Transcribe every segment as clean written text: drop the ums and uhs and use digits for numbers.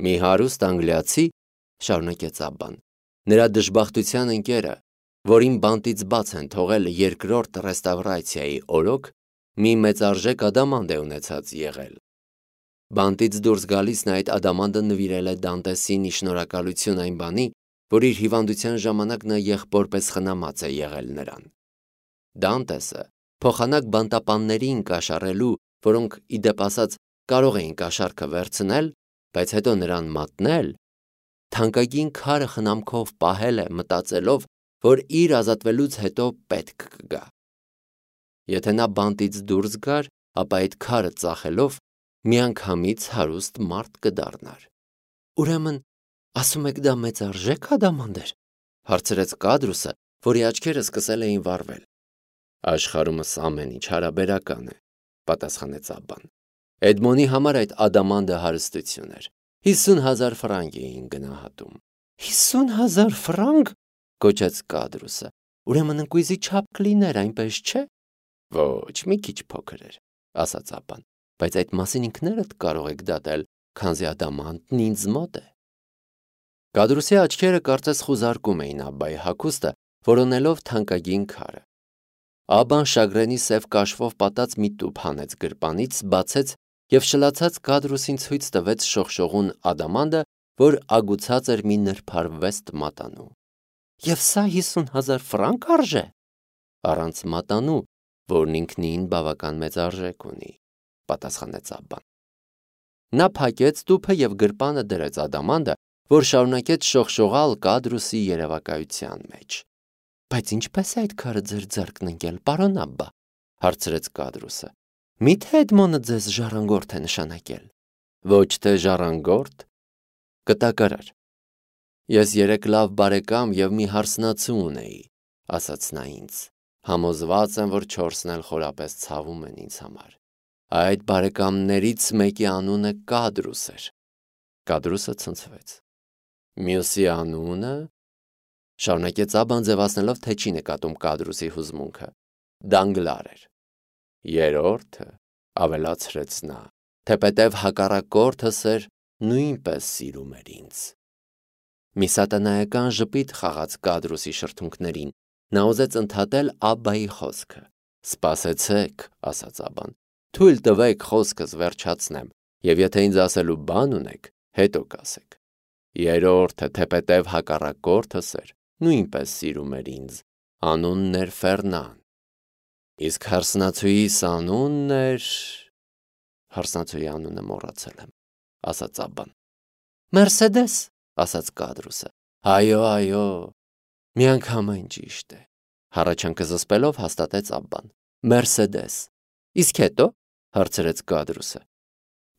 Մի հարուստ անգլիացի, շարունակեց Աբբան, նրա դժբախտության ընկերը, որին բանտից բաց են թողել երկրորդ ռեստավրացիայի օրոք, մի մեծարժեք ադամանդ է ունեցած եղել։ Բանտից դուրս գալիս նա այդ ադամանդը նվիրել է Դանտեսին ի շնորհակալություն այն բանի, որ իր հիվանդության ժամանակ նա եղբորպես խնամած է եղել նրան։ Դանտեսը փոխանակ բանտապաններին կաշառելու, որոնք ի դեպ ասած կարող էին կաշառքը վերցնել, բայց հետո նրան մատնել, թանկագին քարը խնամքով պահել է, մտածելով, որ իր ազատվելուց հետո պետք կգա։ Եթե նա բանտից դուրս գար, ապա այդ քարը ծախելով միանգամից հարուստ մարդ կդառնար։ Ուրեմն, ասում եք դա մեծարժեք ադամանդ էր, հարցրեց Կադրուսը, որի աչքերը սկսել էին վառվել։ Աշխարհումս ամեն ինչ հարաբերական է, պատասխանեց Աբբան։ Էդմոնի համար այդ ադամանդը հարստություն էր։ 50,000 ֆրանկ էին գնահատում։ 50,000 ֆրանկ, գոչեց Կադրուսը։ Ուրեմն ընկույզի չափ կլիներ, այնպես չէ։ Ոչ, մի քիչ փոքր էր, ասաց Աբբան, բայց այդ մասին ինքներդ կարող եք դատել, քանզի ադամանդն ինձ մոտ է։ Կադրուսի աչքերը կարծես խուզարկում էին Աբբայի հագուստը, որոնելով թանկագին քարը։ Աբբան շագրենի սև կաշվով պատած մի տուփ հանեց գրպանից, բացեց եւ շլացած Կադրուսին ցույց տվեց շողշողուն ադամանդը, որ ագուցած էր մի նրբարվեստ մատանու։ Եվ սա 50,000 ֆրանկ արժե։ Առանց մատանու, որն ինքնին բավական մեծ արժեք ունի, պատասխանեց Աբբան։ Նա փակեց տուփը եւ գրպանը դրեց ադամանդը, որ շարունակեց շողշողալ Կադրուսի երևակայության մեջ։ Բայց ինչպես է այդ քարը ձեր ձեռքն ընկել, պարոն Աբբա, հարցրեց Կադրուսը։ Միթե Էդմոնը ձեզ ժառանգորդ է նշանակել։ Ոչ թե ժառանգորդ, կտակարար։ Ես 3 լավ բարեկամ եւ մի հարսնացու ունեի, ասաց նա ինձ։ Համոզված եմ, որ 4-ն էլ խորապես ցավում են ինձ համար։ Այդ բարեկամներից մեկի անունը Կադրուս էր։ Կադրուսը ցնցվեց։ Մյուսի անունը, շարունակեց Աբբան ձևացնելով, թե չի նկատում Կադրուսի հուզմունքը, Դանգլար էր։ Երրորդը, ավելացրեց նա, թեպետև հակառակորդս էր, նույնպես սիրում էր ինձ։ Մի սատանայական ժպիտ խաղաց Կադրուսի շրթունքներին, նա ուզեց ընդհատել Աբբայի խոսքը։ Սպասեցեք, ասաց Աբբան, թույլ տվեք խոսքս վերջացնեմ, եւ եթե ինձ ասելու բան ունեք, հետո կասեք։ Երրորդը, թեպետև հակառակորդս էր, նույնպես սիրում էր ինձ, անունն էր Ֆերնան։ Իսկ հարսնացուիս անունն էր… Հարսնացուի անունը մոռացել եմ, ասաց Աբբան։ Մերսեդես, ասաց Կադրուսը։ Այո, միանգամայն ճիշտ է, հառաչանքը զսպելով հաստատեց Աբբան։ Մերսեդես։ Իսկ հետո, հարցրեց Կադրուսը։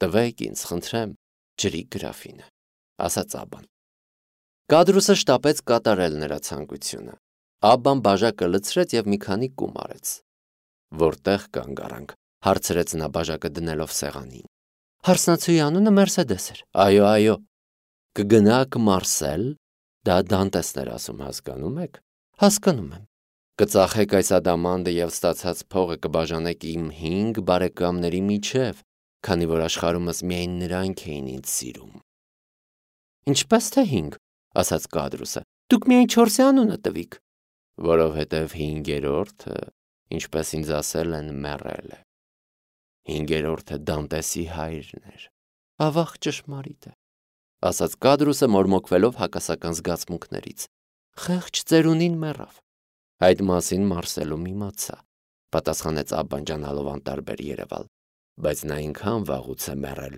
Տվեք ինձ, խնդրեմ, ջրի գրաֆինը, ասաց Աբբան։ Կադրուսը շտապեց կատարել նրա ցանկությունը։ Աբբան բաժակը լցրեց եւ մի քանի կում արեց։ Որտեղ կանգ առանք, հարցրեց նա բաժակը դնելով սեղանին։ Հարսնացուի անունը Մերսեդես էր։ Այո։ Կգնաք Մարսել, դա Դանտեսն էր ասում, հասկանում եք։ Հասկանում եմ։ Կծախեք այս ադամանդը եւ ստացած փողը կբաժանեք իմ 5 բարեկամների միջև, քանի որ աշխարհումս միայն նրանք էին ինձ սիրում։ Ինչպես թե 5, ասաց Կադրուսը։ Դուք միայն 4-ի անունը տվիք։ Որովհետև 5-րդը, ինչպես ինձ ասել են, մեռել է։ 5-րդը Դանտեսի հայրն էր։ Ավաղ ճշմարիտ է, ասաց Կադրուսը մորմոքվելով հակասական զգացմունքներից։ Խեղճ ծերունին մեռավ։ Այդ մասին Մարսելում իմացա, պատասխանեց Աբբան ջանալով անտարբեր երևալ, բայց նա այնքան վաղուց է մեռել,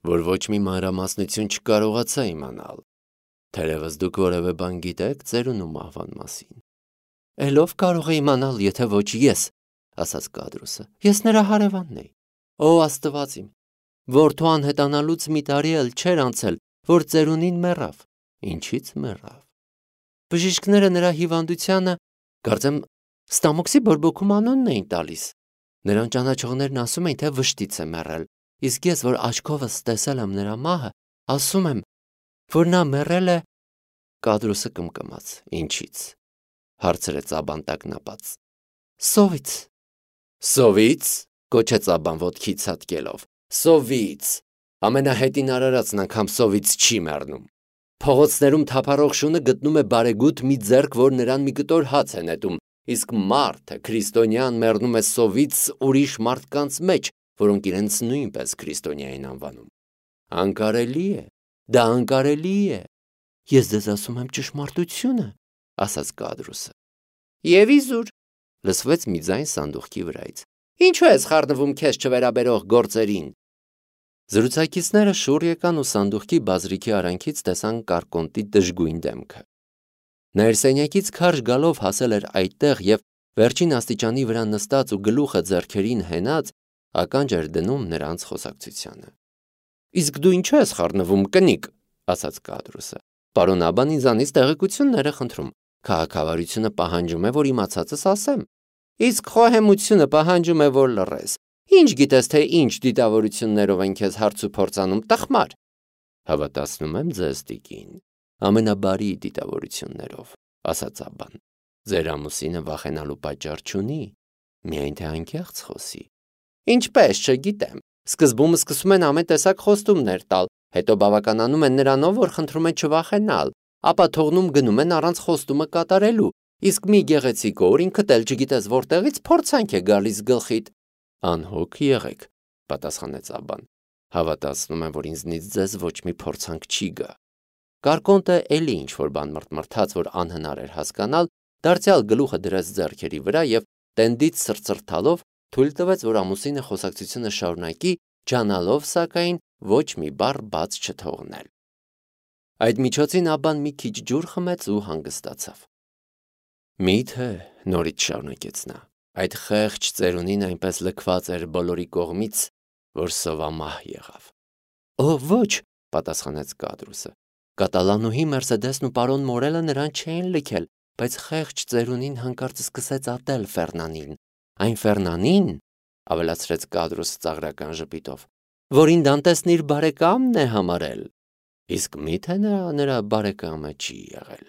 որ ոչ մի մանրամասնություն չկարողացա իմանալ։ Թերևս դուք որևէ բան գիտեք ծերունու մահվան մասին։ Էլով կարող է իմանալ, եթե ոչ ես, ասաց Կադրուսը։ Ես նրա հարևանն էի։ Ո Աստված իմ, որդու անհետանալուց մի տարի էլ չէր անցել, որ ծերունին մեռավ։ Ինչից մեռավ։ Բժիշկները նրա հիվանդությանը, կարծեմ, ստամոքսի բորբոքում անունն էին տալիս։ Նրան ճանաչողներն ասում էին, թե վշտից է մեռել, իսկ ես, որ աչքովս տեսել եմ նրա մահը, ասում եմ, որ նա մեռել է… Կադրուսը կմկմաց։ Ինչից, հարցրեց Աբբան տագնապած։ Սովից։ Սովից, գոչեց Աբբան ոտքի ցատկելով։ Սովից։ Ամենահետին արարածն անգամ սովից չի մեռնում։ Փողոցներում թափառող շունը գտնում է բարեգութ մի ձեռք, որ նրան մի կտոր հաց է նետում, իսկ մարդը, քրիստոնյան, մեռնում է սովից ուրիշ մարդկանց մեջ, որոնք իրենց նույնպես քրիստոնյա են անվանում։ Անկարելի է, դա անկարելի է։ Ես ձեզ ասում եմ ճշմարտությունը, ասաց Կադրուսը։ Եվ իզուր, լսվեց մի ձայն սանդուղքի վրայից։ Ինչու ես խառնվում քեզ չվերաբերող գործերին։ Զրուցակիցները շուռ եկան ու սանդուղքի բազրիքի արանքից տեսան Կարկոնտի դժգույն դեմքը։ Ներսենյակից քարշ գալով հասել էր այդտեղ եւ վերջին աստիճանի վրա նստած ու գլուխը ձեռքերին հենած ականջ էր դնում նրանց խոսակցությանը։ Իսկ դու ինչու ես խառնվում, կնիկ, ասաց Կադրուսը։ Պարոն Աբան ինձանից տեղեկություններ է խնդրում։ Քաղաքավարությունը պահանջում է, որ իմացածս ասեմ։ Իսկ խոհեմությունը պահանջում է, որ լռես։ Ինչ գիտես, թե ինչ դիտավորություններով են քեզ հարց ու փորձանում, տխմար։ Հավատացնում եմ ձեզ, տիկին, ամենաբարի դիտավորություններով, ասաց Աբան։ Ձեր ամուսինը վախենալու պատճառ չունի, միայն թե անկեղծ խոսի։ Ինչպես, չգիտեմ։ Սկզբում սկսում են ամեն տեսակ խոստումներ տալ, հետո բավականանում են նրանով, որ խնդրում են չվախենալ, ապա թողնում գնում են առանց խոստումը կատարելու, իսկ մի գեղեցիկ օր ինքդ էլ չգիտես որտեղից փորձանք է գալիս գլխիդ։ Անհոգ եղեք, պատասխանեց Աբան։ Հավատացնում եմ, որ ինձնից ձեզ ոչ մի փորձանք չի գա։ Կարկոնտը էլի ինչ-որ բան մրթմրթաց, որ անհնար էր հասկանալ, դարձյալ գլուխը դրեց ձեռքերի վրա եւ տենդից սրծրթալով թույլ տվեց, որ ամուսինը խոսակցությունը շարունակի, ջանալով սակայն ոչ մի բառ բաց չթողնել։ Այդ միջոցին Աբան մի քիչ ջուր խմեց ու հանգստացավ։ Միթե, նորից շարունակեց նա, այդ խեղճ ծերունին այնպես լքված էր բոլորի կողմից, որ սովամահ եղավ։ Օ, ոչ, պատասխանեց Կադրուսը։ Կատալանուհի Մերսեդեսն ու պարոն Մորելը նրան չէին լքել, բայց խեղճ ծերունին հանկարծ սկսեց ատել Ֆերնանին։ Այն Ֆերնանին, ավելացրեց Կադրուսը ծաղրական ժպիտով, որին Դանտեսն իր բարեկամն է համարել։ Իսկ միթե նրա բարեկամը չի եղել,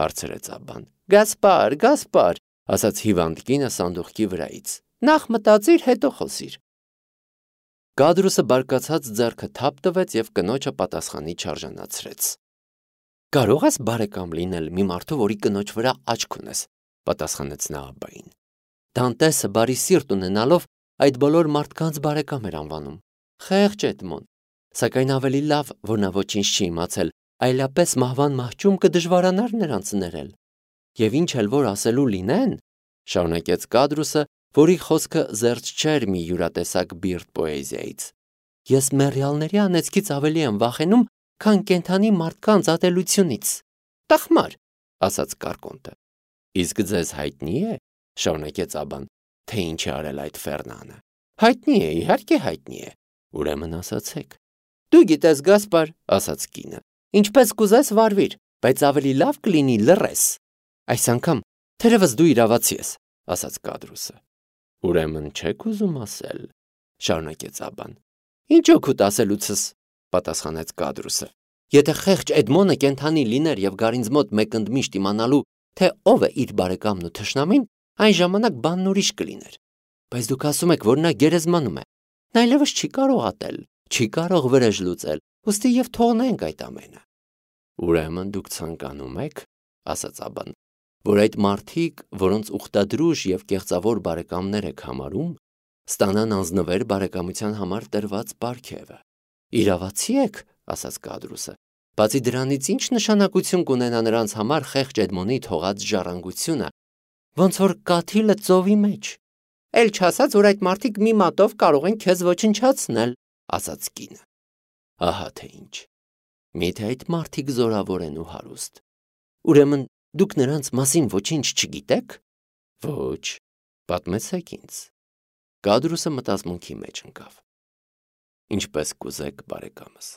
հարցրեց Աբան։ Գասպար, ասաց հիվանդ կինը սանդուղքի վրայից։ Նախ մտածիր, հետո խոսիր։ Կադրուսը բարկացած ձեռքը թափ տվեց եւ կնոջը պատասխանի չարժանացրեց։ Կարող ես բարեկամ լինել մի մարդու, որի կնոջ վրա աչք ունես, պատասխանեց նա Աբային։ Դանտեսը բարի սիրտ ունենալով այդ բոլոր մարդկանց բարեկամ էր անվանում։ Խեղճ Էդմոն, սակայն ավելի լավ, որ նա ոչինչ չի իմացել, այլապես մահվան մահճում կդժվարանար նրանց ներել։ Եվ ինչ էլ որ ասելու լինեն, շարունակեց Կադրուսը, որի խոսքը զերծ չէր մի յուրատեսակ բիրտ պոեզիայից։ Ես մեռյալների անեծքից ավելի եմ վախենում, քան կենդանի մարդկանց ատելությունից։ Տխմար, ասաց Կարկոնտը։ Իսկ ձեզ հայտնի է, շարունակեց Աբան, թե ինչ է արել այդ Ֆերնանը։ Հայտնի է, իհարկե հայտնի է։ Ուրեմն ասացեք։ Դու գիտես, Գասպար, ասաց կինը, ինչպես կուզես վարվիր, բայց ավելի լավ կլինի լռես։ Այս անգամ թերևս դու իրավացի ես, ասաց Կադրուսը։ Ուրեմն չեք ուզում ասել, շարունակեց Աբան։ Ինչ օգուտ ասելուցս, պատասխանեց Կադրուսը։ Եթե խեղճ Էդմոնը կենդանի լիներ եւ գարինձ մոտ մեկընդմիշտ իմանալու, թե ով է իր բարեկամն ու թշնամին, այն ժամանակ բանն ուրիշ կլիներ։ Բայց դուք ասում եք, որ նա գերեզմանում է։ Նա այլևս չի կարող ատել, չի կարող վրեժ լուծել, ուստի եւ թողնենք այդ ամենը։ Ուրեմն դուք ցանկանում եք, ասաց Աբան, որ այդ մարդիկ, որոնց ուխտադրուժ եւ կեղծավոր բարեկամներ եք համարում, ստանան անձնվեր բարեկամության համար տրված պարգևը։ Իրավացի եք, ասաց Կադրուսը։ Բացի դրանից ինչ նշանակություն կունենա նրանց համար խեղճ Էդմոնի թողած ժառանգությունը, ոնց որ կաթիլը ծովի մեջ։ Էլ չասած, որ այդ մարդիկ մի մատով կարող են քեզ ոչնչացնել, ասաց կինը։ Ահա թե ինչ։ Միթե այդ մարդիկ զորավոր են ու հարուստ։ Ուրեմն դուք նրանց մասին ոչինչ չգիտեք։ Ոչ, պատմեցեք ինձ։ Կադրուսը մտածմունքի մեջ ընկավ։ Ինչպես կուզեք, բարեկամս,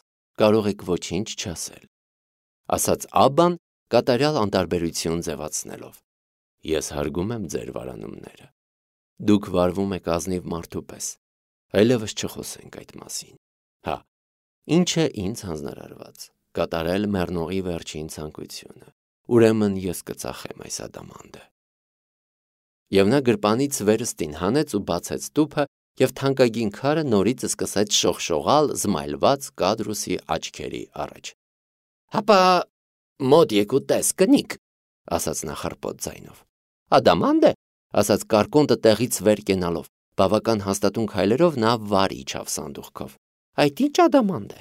կարող եք ոչինչ չասել, ասաց Աբան կատարյալ անտարբերություն ձևացնելով։ Ես հարգում եմ ձեր վարանումները։ Դուք վարվում եք ազնիվ մարդու պես, այլևս չխոսենք այդ մասին։ Հա, ինչ է ինձ հանձնարարված, կատարել մեռնողի վերջին ցանկությունը։ Ուրեմն ես կծախեմ այս ադամանդը։ Եվ նա գրպանից վերստին հանեց ու բացեց տուփը, և թանկագին քարը նորից սկսեց շողշողալ զմայլված Կադրուսի աչքերի առաջ։ «Հապա մոտ եկու տես, կնիկ», ասաց նա խռպոտ ձայնով։ «Ադամանդ է», ասաց Կարկոնտը տեղից վեր կենալով, բավական հաստատուն քայլերով նա վար իջավ սանդուղքով։ «Այդ ի՞նչ ադամանդ է»։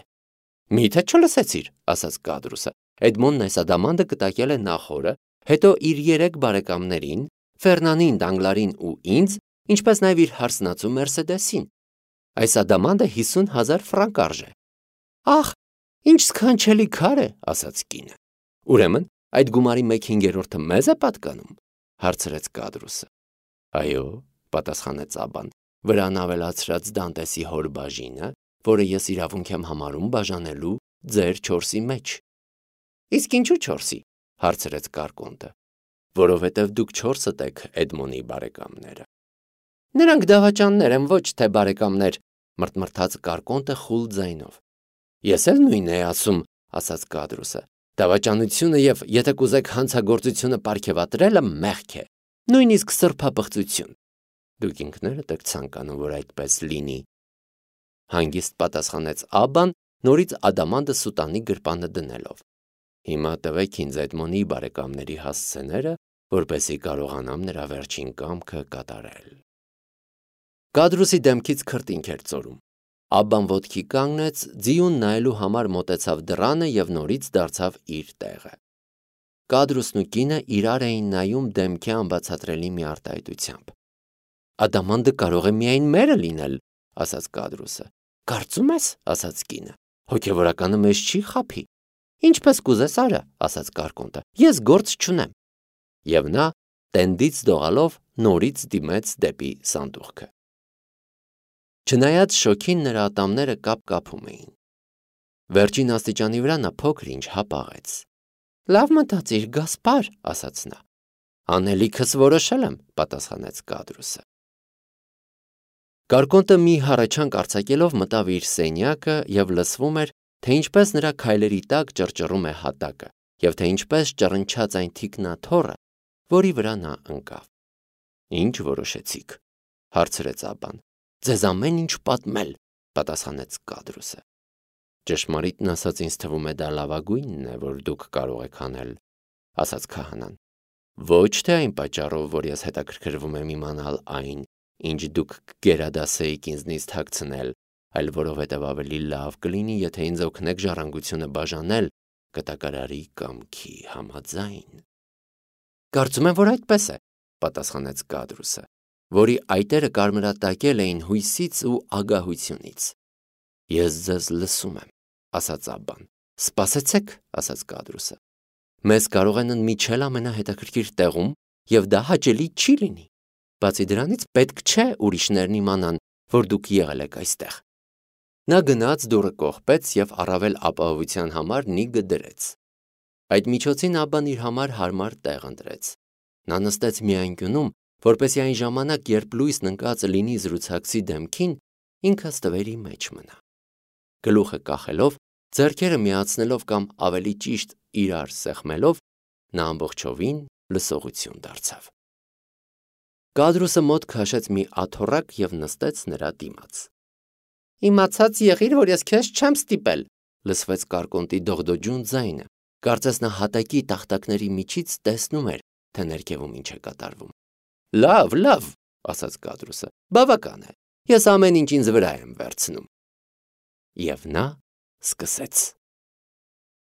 «Մի՞թե չլսեցիր», ասաց Կադրուսը։ Էդմոնդն այս ադամանդը կտակել է նախորը, հետո իր 3 բարեկամներին, Ֆերնանին, Դանգլարին ու ինձ, ինչպես նաև իր հարսնացու Մերսեդեսին։ Այս ադամանդը 50,000 ֆրանկ արժե։ «Ախ, ինչ սքանչելի քար է», ասաց կինը։ «Ուրեմն այդ գումարի 1/5-ը մեզ է պատկանում», հարցրեց Կադրուսը։ «Այո», պատասխանեց Աբբան, վրան ավելացրած Դանտեսի հոր բաժինը, որը ես իրավունք եմ համարում բաժանելու ձեր 4-ի մեջ։ «Իսկ ինչու 4-ի», հարցրեց Կարկոնտը։ «Որովհետև դուք 4-դ եք Էդմոնի բարեկամները»։ «Նրանք դավաճաններ են, ոչ թե բարեկամներ», մրթմրթաց Կարկոնտը խուլ ձայնով։ «Ես էլ նույնն էի ասում», ասաց Կադրուսը։ «Դավաճանությունը և, եթե կուզեք, հանցագործությունը պարգևատրելը մեղք է, նույնիսկ սրբապղծություն։ Դուք ինքներդ եք ցանկանում, որ այդպես լինի», հանգիստ պատասխանեց Աբբան, նորից ադամանդը սուտանի գրպանը դնելով։ «Հիմա տվեք ինձ Էդմոնի բարեկամների հասցեները, որպեսզի կարողանամ նրա վերջին կամքը կատարել»։ Կադրուսի դեմքից քրտինք էր ծորում։ Աբբան ոտքի կանգնեց, ձիուն նայելու համար մոտեցավ դռանը և նորից դարձավ իր տեղը։ Կադրուսն ու կինը իրար էին նայում դեմքի անբացատրելի մի արտահայտությամբ։ «Ադամանդը կարող է միայն մերը լինել», ասաց Կադրուսը։ «Կարծում ես», ասաց կինը, «հոգևորականը մեզ չի խաբի»։ «Ինչպես կուզես արա», ասաց Կարկոնտը, «ես գործ չունեմ»։ Եվ նա տենդից դողալով նորից դիմեց դեպի սանդուղքը։ Չնայած շոգին նրա ատամները կապ-կապում էին։ Վերջին աստիճանի վրա նա փոքր-ինչ հապաղեց։ «Լավ մտածիր, Գասպար», ասաց նա։ «Անելիքս որոշել եմ», պատասխանեց Կադրուսը։ Կարկոնտը մի հառաչանք արձակելով մտավ իր սենյակը և լսվում էր, թե ինչպես նրա քայլերի տակ ճռճռում է հատակը, և թե ինչպես ճռնչաց այն թիկնաթոռը, որի վրա նա ընկավ։ «Ինչ որոշեցիք», հարցրեց Աբբան։ «Ձեզ ամեն ինչ պատմել», պատասխանեց Կադրուսը։ «Ճշմարիտն ասած, ինձ թվում է դա լավագույնն է, որ դուք կարող եք անել», ասաց քահանան։ «Ոչ թե այն պատճառով, որ ես հետաքրքրվում եմ իմանալ այն, ինչ դուք կգերադասեիք ինձնից թաքցնել, այլ որովհետև ավելի լավ կլինի, եթե ինձ օգնեք ժառանգությունը բաժանել կտակարարի կամքի համաձայն»։ «Կարծում եմ, որ այդպես է», պատասխանեց Կադրուսը, որի այտերը կարմրատակել էին հույսից ու ագահությունից։ «Ես ձեզ լսում եմ», ասաց Աբբան։ «Սպասեցեք», ասաց Կադրուսը։ «Մեզ կարող են ընդմիջել ամենահետաքրքիր տեղում, և դա հաճելի չի լինի։ Բացի դրանից պետք չէ ուրիշներն իմանան, որ դուք եղել եք այստեղ»։ Նա գնաց դուռը կողպեց և առավել ապահովության համար նիգը դրեց։ Այդ միջոցին Աբբան իր համար հարմար տեղ ընտրեց։ Նա նստեց մի անկյունում, որպեսզի այն ժամանակ, երբ լույսն ընկած լինի զրուցակցի դեմքին, ինքը ստվերի մեջ մնա։ Գլուխը կախելով, ձեռքերը միացնելով կամ ավելի ճիշտ իրար սեղմելով, նա ամբողջովին լսողություն դարձավ։ Կադրուսը մոտ քաշեց մի աթոռակ և նստեց նրա դիմաց։ «Իմացած եղիր, որ ես քեզ չեմ ստիպել», լսվեց Կարկոնտի դողդոջուն ձայնը։ Կարծես նա հատակի տախտակների միջից տեսնում էր, թե ներքևում ինչ է կատարվում։ «Լավ, լավ», ասաց Կադրուսը, «բավական է, ես ամեն ինչ ինձ վրա եմ վերցնում»։ Եվ նա սկսեց։